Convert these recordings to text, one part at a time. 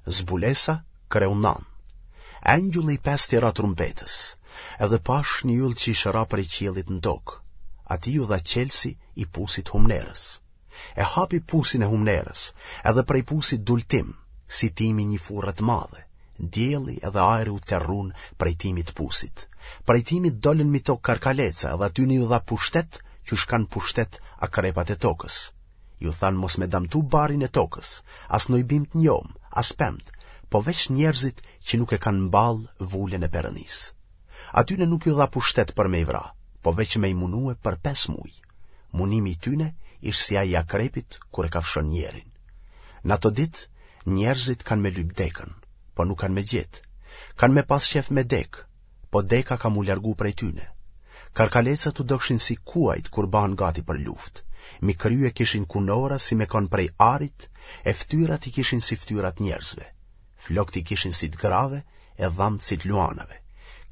Zbulesa, kreu nan. Engjulli i pestë i ra trumpetës, edhe pashë një yll që ish ra prej qiellit në tokë. Atij iu dha çelësi i pusit humnerës. E hapi pusin e humnerës, edhe prej pusit dul tym, si timi i një furre të madhe. Dielli edhe ajri u terrun prej timit të pusit. Prej timit dolën mi tokë karkaleca edhe atyne iu dha pushtet qysh kanë pushtet akrepat e tokës. Ju thanë mos me damtu barin e tokës, as noj bimë të njomë, as pemët, po veç njerëzit që nuk e kanë n'ballë vulën e Perëndisë. Atyne nuk ju dha pushtet për me i vra, po veç me i munue për pesë muj. Munimi i tyne ish si ai i akrepit kur e kafshon njerin. Në ato ditë, njerëzit kanë me lyp dekën, po nuk kanë me gjetë. Kanë me pas qef me dekë, po deka ka m'u largu prej tyne. Karkalecat u dokshin si kuajt kur bahen gati për luftë. Mi krye kishin kunora si me kon prej arit, e ftyrat i kishin si ftyrat njerëzve. Flokët i kishin si të grave e dhambët si të luanave.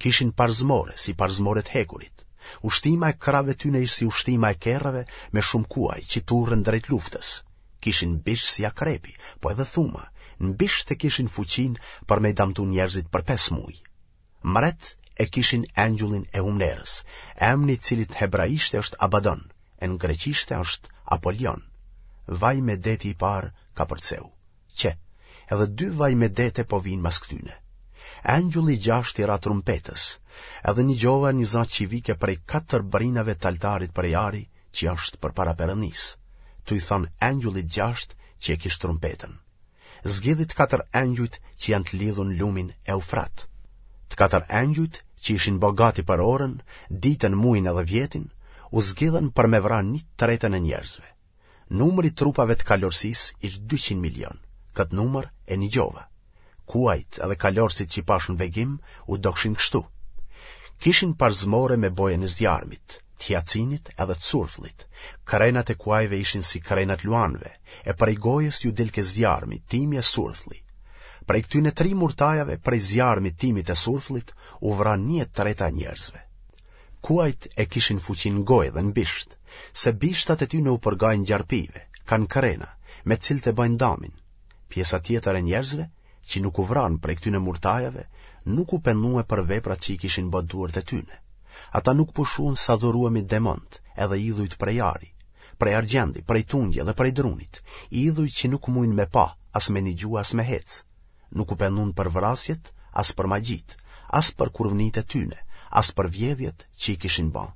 Kishin parzmore si parzmore të hekurit. Ushtima e krahëve tyne ish si ushtima e kerreve me shumë kuaj që turren drejt luftës. Kishin bisht si akrepi, po edhe thuma, në bisht e kishin fuqinë për me i damtu njerëzit për pesë muj. Mret e kishin engjullin e humnerës, emni i cilit në hebraishte është Abadon, e në greqishte është Apolion. Vajmedeti i parë kapërceu. Qe, edhe dy vajmedete po vijnë mas këtyne. Engjulli i gjashtë i ra trumpetës, edhe nigjova një za që vike prej katër brinave të altarit prej ari që është përpara Perëndisë, tu i thënë engjullit gjashtë që e kish trumpetën. Zgjidhi të katër engjujt që janë të lidhur në lumin Eufrat. Të katër engjujt që ishin bo gati për orën, ditën, mujin edhe vjetin, u zgjidhën për me vra një tretën e njerëzve. Numri i trupave të kalorësisë ish 200 milion, këtë numër e nigjova. Kuajt edhe kalorësit që i pashë në vegim u dokshin kështu. Kishin parzmore me bojën e zjarmit, të hiacinit edhe të surfllit. Krenat e kuajve ishin si krenat luanëve, e prej gojës ju dilke zjarmi, timi e surflli. Prej këtyne tri murtajave, prej zjarmit, timit e surfllit, u vra një e treta e njerëzve. Kuajt e kishin fuqinë në gojë dhe në bisht, se bishtat e tyne u përgajnë gjarpijve, kanë krena, me të cilët e bëjnë damin. Pjesa tjetër e njerëzve, që nuk u vranë prej këtyne murtajave, nuk u pendue për veprat që i kishin bë duart e tyne. Ata nuk pushuan s'adhuruemi demont edhe idhujt prej ari, prej argjendi, prej tungje dhe prej drunit, idhuj që nuk mujnë me pa, as me nigju, as me hecë. Nuk u pendun për vrasjet, as për magjitë, as për kurvnitë e tyne, as për vjedhjet që i kishin ba.